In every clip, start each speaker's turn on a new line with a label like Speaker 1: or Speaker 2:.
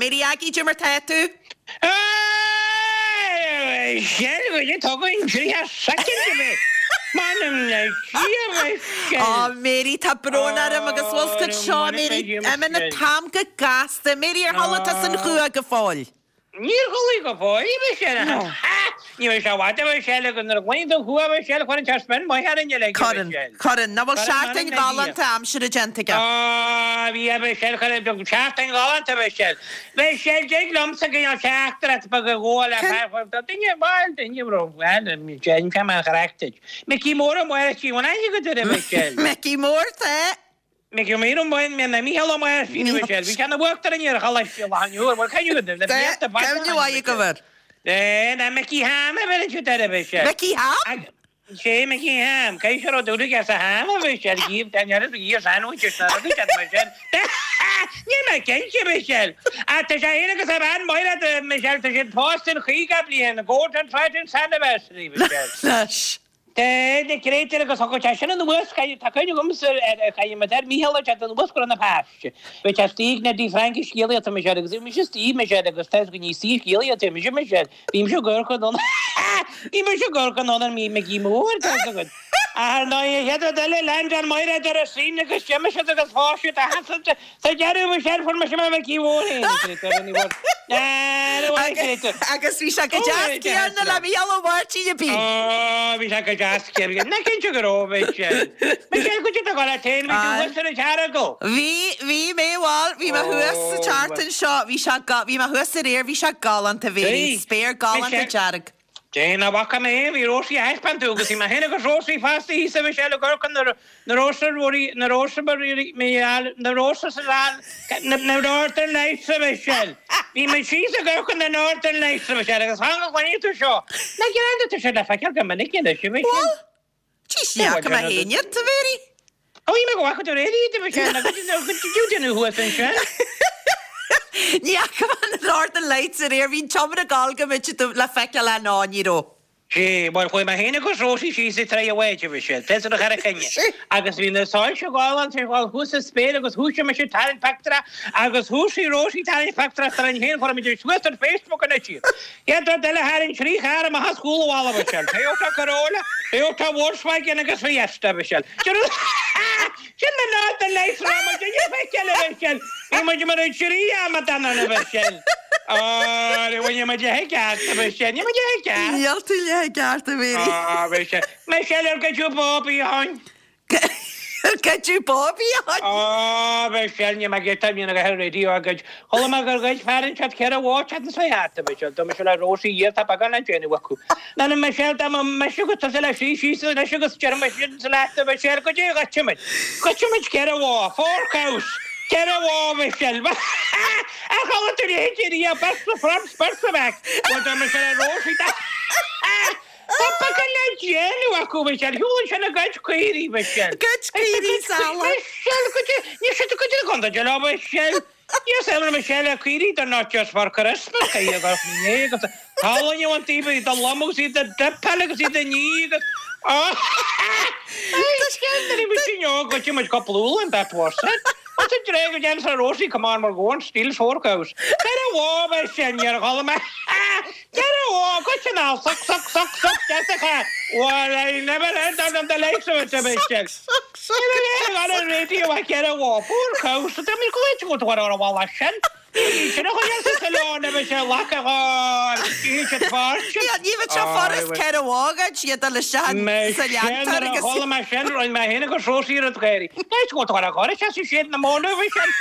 Speaker 1: Mary Aggie, cad é mar tá tú?
Speaker 2: Michelle, bhfuil tú againn 30 soicind a bheith? M'anam le Dia, Michelle.
Speaker 1: Á, Mary, tá brón orm agus bhfuil 's agat seo, Mary, imíonn an t-am go gasta. Mary, ar chodlaigh tusa an chumha go fóill?
Speaker 2: Níor chodlaigh go fóill, a Mhichelle. Ha! Ní raibh sé i bhfad, a Mhichelle, agus nuair a ghlaonn tú chucu, a Mhichelle, cuireann sé spion maith orainn uilig, a
Speaker 1: Cuireann,
Speaker 2: Mhichelle.
Speaker 1: cuireann. Nach bhfuil
Speaker 2: Cuireann,
Speaker 1: seachtain
Speaker 2: m'anam le Dia.
Speaker 1: ghalánta aimsire déanta aige?
Speaker 2: Á, bhí, a Mhichelle, cuireann, seachtain ghalánta, a Mhichelle. Michelle, dtig liomsa cineál teachtaireacht beag a ghabháil le
Speaker 1: Cén?
Speaker 2: fear, duine, bhuel, duine, bhuel, déanfaidh mé an chraic duit. Micí Mór Ó Máirtín, bhfuil aithne agat air, a Mhichelle?
Speaker 1: Micí Mór, tá.
Speaker 2: Micí Mór Ó Mícheál Ó Máirtín, a Mhichelle. Bhí sé ina uachtarán ar Choláiste Loch an Iúir, bhfuil cuimhne agat air, le blianta fada ó
Speaker 1: Cuimhne
Speaker 2: shin, a
Speaker 1: mhaith agam
Speaker 2: Mhichelle.
Speaker 1: air.
Speaker 2: Eh, ná Micí Ham a bheireann siad air, a Mhichelle.
Speaker 1: Micí Ham?
Speaker 2: Sé Micí Ham, caithfidh sé rud úr aige sa ham a Mhichelle, gíomh den oiread gíomh sandwiches na rudaí sin Michelle. Níl mé cinnte Michelle. Ach tá sé féin agus a bhean Máire a Michelle, tá siad pósta an 50 bliain, Golden Trident Anniversary Michelle.
Speaker 1: Anois.
Speaker 2: Tá na créatúir agus thug sé sin anuas, tá cuimhne agamsa ar chaith muid ar Mícheál ag teacht anuas go raibh na páiste. Bhí sé istigh na dtí Frainc scéalaíochta Michelle agus bhí mise istigh Michelle agus tá go ní istigh scéalaíochta mise Michelle. Bhí mise ag amharc anonn Bhí mise ag amharc anonn ar Micí Mór, tá 'fhios agat. Ach ar ndóigh, an chéad rud eile, lean John Máire ar a sraoinn agus d'imigh siad agus phós siad a sheasamh sa deireadh bhí sé ar fuair mise mo Mhicí Mhór féin, a Chréatúir, ní bhfuair. Ní bhfuair, a Chréatúir.
Speaker 1: Agus bhí sé go deas céanna le Mícheál Ó Máirtín a bhí.
Speaker 2: Ó, bhí sé go deas céanna. Nach cinnte go raibh, Michelle. Michelle, goidé do dhul leat féin, bhí tú thuas ar an Earagail.
Speaker 1: Bhí, bhí mé, bhuel, bhí mé thuas sa tseachtain seo, bhí sé, bhí mé thuas aréir, bhí sé galánta, bhí, spéir galánta dearg.
Speaker 2: Dé, nach bhfaca mé é, bhí Rósaí a thaispeáint tú agus bhí mé féin agus Rósaí fosta thíos a Mhichelle ag amharc na na Rósa Ruairí, na Rósa na Rósa sa na na Northern Lights a Mhichelle. Bhí mé síos ag amharc na Northern Lights a Mhichelle agus fan go gcluinfidh tú seo. Nach greanta tá sé le feiceáil go minic anois a Mhichelle.
Speaker 1: Bhuel, Tís ní fhaca mé féin iad, a Mhéirí.
Speaker 2: Ó, bhí mé go bhfaca tú aréir iad, a Mhichelle, nó go dtí déanamh thuas ansin.
Speaker 1: Ní fhaca mé na Northern Lights aréir, bhí an tseomra ag gabháil go mbíd le feiceáil á ná ní raibh.
Speaker 2: Sea, bhuel, chuaigh mé féin agus Rósaí síos ag Traigh a' Bháid, a Mhichelle, fios ar an Charraig Choinne, agus bhí na soilse galánta ag gabháil thuas sa spéir agus thoisigh mise ag tarraingt pictiúr agus thoisigh Rósaí ag tarraingt pictiúr dúinn féin, chuir muid suas ar Facebook anois iad. Chéad rud eile tharraing 3 charr amach as chúl an bhalla, a Mhichelle. Toyota Corolla, Toyota Volkswagen agus Fiesta, a Mhichelle. Sin na Northern Lights a raibh muid ag feiceáil, a Mhichelle. Bhí muid mar an 3 amadán ann, a Mhichelle. Ó, ní bhfuil muid i gceart, a Mhichelle. Níl muid i gceart.
Speaker 1: Níl tú leath i gceart, a Mhéirí.
Speaker 2: Ó, a Mhichelle. Michelle, ar goideadh Bobby a shoin?
Speaker 1: Ar goideadh Bobby a shoin?
Speaker 2: Ó, Michelle, níl mé ag iarraidh mionn a bheith ar raidió a ghoid. Chuala mé gur ghoid fear inteacht 4 bhó an tseachtain seo thart, a Mhichelle. Dúirt mise le Rósaí dhia tá beagán le déanamh acu. Ná na Michelle, dá mba mise agus tusa le suí síos anois agus déarfaidh mise leat, a Mhichelle, goidé a ghoidfidh muid? Ghoidfidh muid 4 bhó, four cows, 4 bhó, a Mhichelle. Ar chuala tú a leithéid riamh, beirt sa front, beirt sa back. Bhuel, dúirt mise le Rósaí, dá. Tá beagán le déanamh acu, Michelle. Shiúl ansin ag goid caoirigh, Michelle.
Speaker 1: Goid caoirigh salach.
Speaker 2: Michelle, goid, níl siad ag goid na contae leo, Michelle. Níl saol ar Michelle caoirigh, they're not just for Christmas, caoirigh a gcuirfeadh mé agus tallainne an taobh iad a lom agus iad a dtipeáil agus iad a ní agus Michelle, nuair a bhí muid óg, goid muid cúpla úll and that was it. What's it drag against a Rosie, come on, we're going, steal four cows. Better war, Michelle, níor chuala mé. Deireadh ó, goitse ná suck, suck, suck, suck, Jessica! Well, I never heard of the likes of it, a Michelle.
Speaker 1: Suck, suck,
Speaker 2: Ní raibh aon radio a 4 bhó, poor cow, so tá mé go go go ar bhalla sin. Ní sin a chuir sa salon a Michelle, laca gáir, ní siad fáilte.
Speaker 1: Ní bheadh sé furast 4 bhó a ghoid, iad dul isteach sa leantóir
Speaker 2: Michelle,
Speaker 1: agus.
Speaker 2: chuala mé sin, rinne mé féin agus Rosie rud gáirí. Ní go go ar gáir, sé siad na móna, Michelle.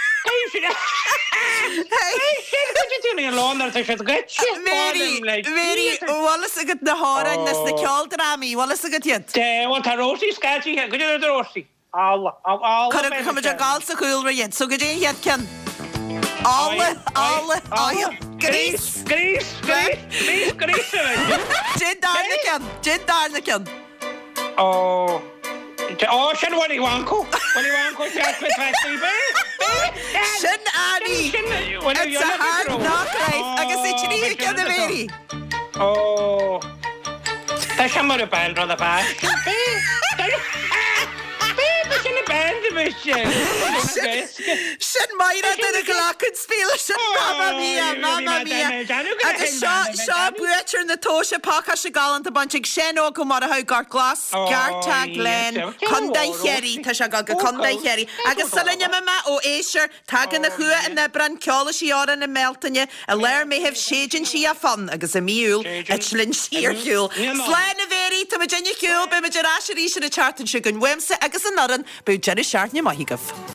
Speaker 1: Mary, Mary, bhfuil fhios agat na hamhráin as na ceoldrámaí, bhfuil fhios agat iad?
Speaker 2: Dé, bhuel tá Rósaí scaití, go dtí Rósaí. Alla, alla.
Speaker 1: Cuirfidh muid ag gabháil sa chúlra iad, so goidé an chéad ceann. Alla, alla, oil, grease.
Speaker 2: Grease, grease, grease, grease.
Speaker 1: Déan darna ceann, déan darna ceann.
Speaker 2: Ó, ó, sin Willy Wonka. Willy Wonka Chocolate Factory. Bé, bé,
Speaker 1: Sin Annie.
Speaker 2: Sin,
Speaker 1: It's a hard knock life agus é tríú ceann a Mhéirí.
Speaker 2: Ó, tá sé mar a band rud a bheas. Bé, bé, bé, sin a band a bhí sin.
Speaker 1: Sin Máire duine a ghlacann spíle sin Mamma Mia. Mamma mia! Agus seo, seo buaiteoir na tomhaise pacáiste galánta bainte ag Seán Óg Ó Murchú, Gort Glas, Gartagh Glen, Contae Chiarraí. Tá sé ag dul go Contae Chiarraí. Agus sula n-imigh mé ó éisteoir, Tagann a chumha in Aibreán, ceolfaidh sí amhrán i mBealtaine, i lár Meithimh séideann sí a fonn agus i mí Iúil eitlíonn sí ar shiúl. Slán a Mhéirí, tá muid ar shiúl, beidh muid ar ais arís ar an tseachtain seo chugainn uaimse agus an fhoireann, bíodh deireadh seachtaine maith agaibh.